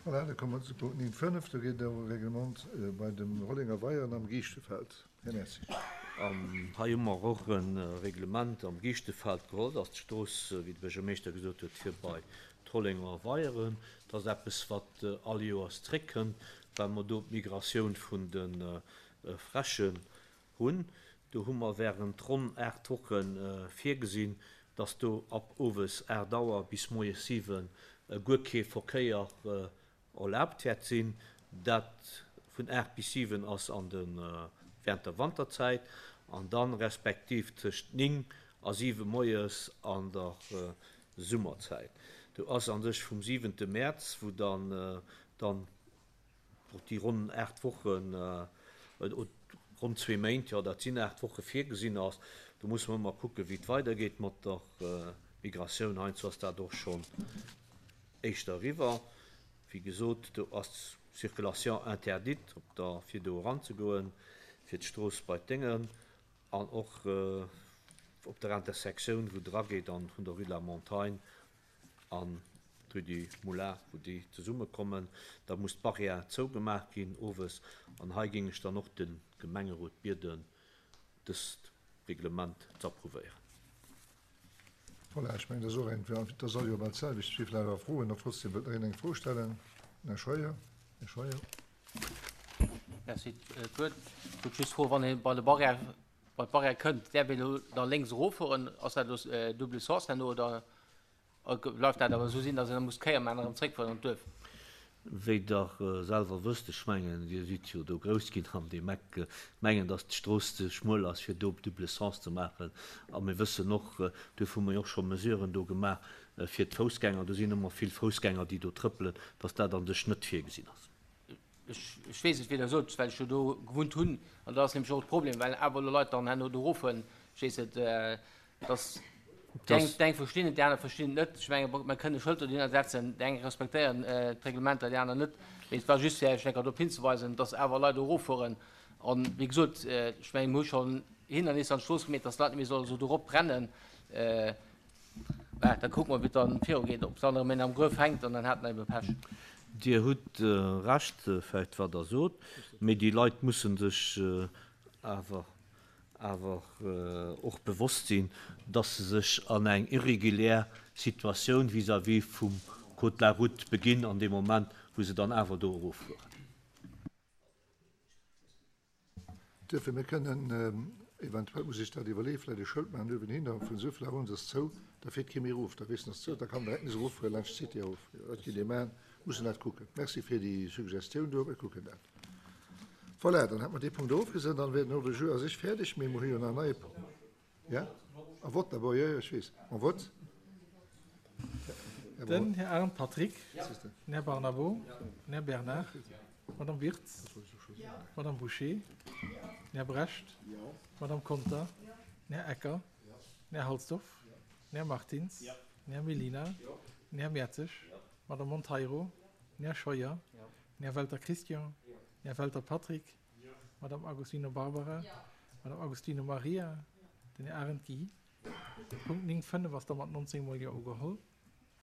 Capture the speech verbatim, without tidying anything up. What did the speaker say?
Voilà, da komme mer zu Punkt néng fënnef. Do geet et ëm e Reglement bei dem Rollenger Weier an am Giischtefeld. Här Merzi. An hei hu mer och e Reglement am Giischtefeld geholl. Dat ass d'Strooss, wéi de Buergermeeschter gesot huet, fir bei d'Rollenger Weieren. Dat ass eppes, wat all Joers zréckkënnt, well mer do d'Migratioun vun de Fräschen hunn. Do hu mer während ronn aacht Woche virgesinn, dass do ab owes aacht Auer bis moies siwe guer kee Verkéier erlaabt wäert sinn. Dat vun aacht bis siwen ass an de während der Wanterzäit an dann respektiv tëscht néng a siwe moies an der Summerzäit. Do ass a sech vum siwente Mäerz, wou dann dann och déi ronn aacht Wochen, ronn zwee Méint, jo dat sinn aacht Woche virgesinn ass. Do musse mer ëmmer kucken, wéi et weidergeet mat der Migratioun. Heiansdo ass dat och schonn éischter eriwwer. Wéi gesot, do ass d'Circulation interdite op der, fir do eranzegoen, fir d'Strooss bei d'Déngen an och op der Intersektioun, wou drageet an vun der Rue de la Montagne an d'Rue du Moulin, wou déi zesummekommen. Da muss d'Barrière zougemaach ginn owes. An hei géing ech dann och de Gemengerot bieden, dëst Reglement ze approuvéieren. Voilà, ech mengen, dat ass och eng, dat ass all Joer bal d'selwecht. Ech géif awer froen, ob trotzdem wëllt nach een eng Fro stellen. Här Scheuer, Här Scheuer. Merci. D'Wuert. Ech wollt just froen, wann ee bei de Barrière, bei d'Barrière kënnt, däerf een elo da lénks eroffueren? Ass dat elo double sens herno oder bleift dat awer esou sinn, datt een da muss d'Kéier maachen an erëm zréckfueren an d'Duerf? Wéi Der selwer wësst, ech mengen, Dir sidd jo do grouss ginn an deem Eck, mengen, datt d'Strooss ze schmuel ass, fir do double sens ze maachen. A mir wëssen och, duerfir hu mer jo och scho Mesuren do gemaach fir d'Foussgänger, do sinn ëmmer vill Foussgänger, déi do trëppelen, datt dat a sech net virgesinn ass. Ech weess et, wéi Der sot, well ech jo do gewunnt hunn. An dat ass nämlech och de Problem, well awer elo Leit dann herno do eroffueren. Ech weess et, dass déi eng, déi eng verstinn et, déi aner verstinn et net. Ech menge mer kënne Schëlter dohinner setzen, déi eng respektéieren d'Reglementer, déi aner net. Mee et war just fir Iech eng Kéier drop hinzeweisen, dass awer Leit do eroffueren. An wéi gesot, ech menge mir hu schonn hin an nees an d'Strooss gemeet, dass d'Leit net méi solle sou dorop rennen. Bah, da kucke mer, wéi et dann virugeet, ob dann erëm een am Gruef hänkt an dann hat en ebe Pech. Dir hutt Recht vläicht, wat Der sot, mee déi Leit musse sech awer awer och bewosst sinn, dass se sech an eng irregulär Situatioun vis-à-vis vum Code de la route beginn an deem Moment, wou se dann awer do eroffueren. Duerfir, mir kënnen eventuell, muss ech dat iwwerleeën, vläicht e Schëld maachen uewenhinner, vun esou vill Auer un ass zou, da fiert kee méi erof, da weess en, ass zou, da kann en direkt nees eroffueren laanscht d'Cité erof. Dat kinnt ee maachen, mussen dat kucken. Merci fir déi Suggestioun do, mir kucken dat. Voilà, dann hätte mer dee Punkt ofgesat, dann wär den Ordre du jour a sech fäerdeg, mee mer hu jo nach en neie Punkt. Ja? En vote d'abord, jo, jo, ech weess. En vote. Den Här Arndt Patrick, den Här Barnabo, den Här Bernard, d'Madame Wirtz, d'Madame Bouché, den Här Brecht, d'Madame Conter, den Här Ecker, den Här Halsdorf, den Här Martins, den Här Mellina, den Här Mertzig, d'Madame Monteiro, den Här Scheuer, den Här Welter Christian, den Här Welter Patrick, d'Madame Agostino Barbara, d'Madame Agostino Maria, den Här Arendt Guy. Punkt néng fënnef ass da mat nonzéng mol Jo ugeholl.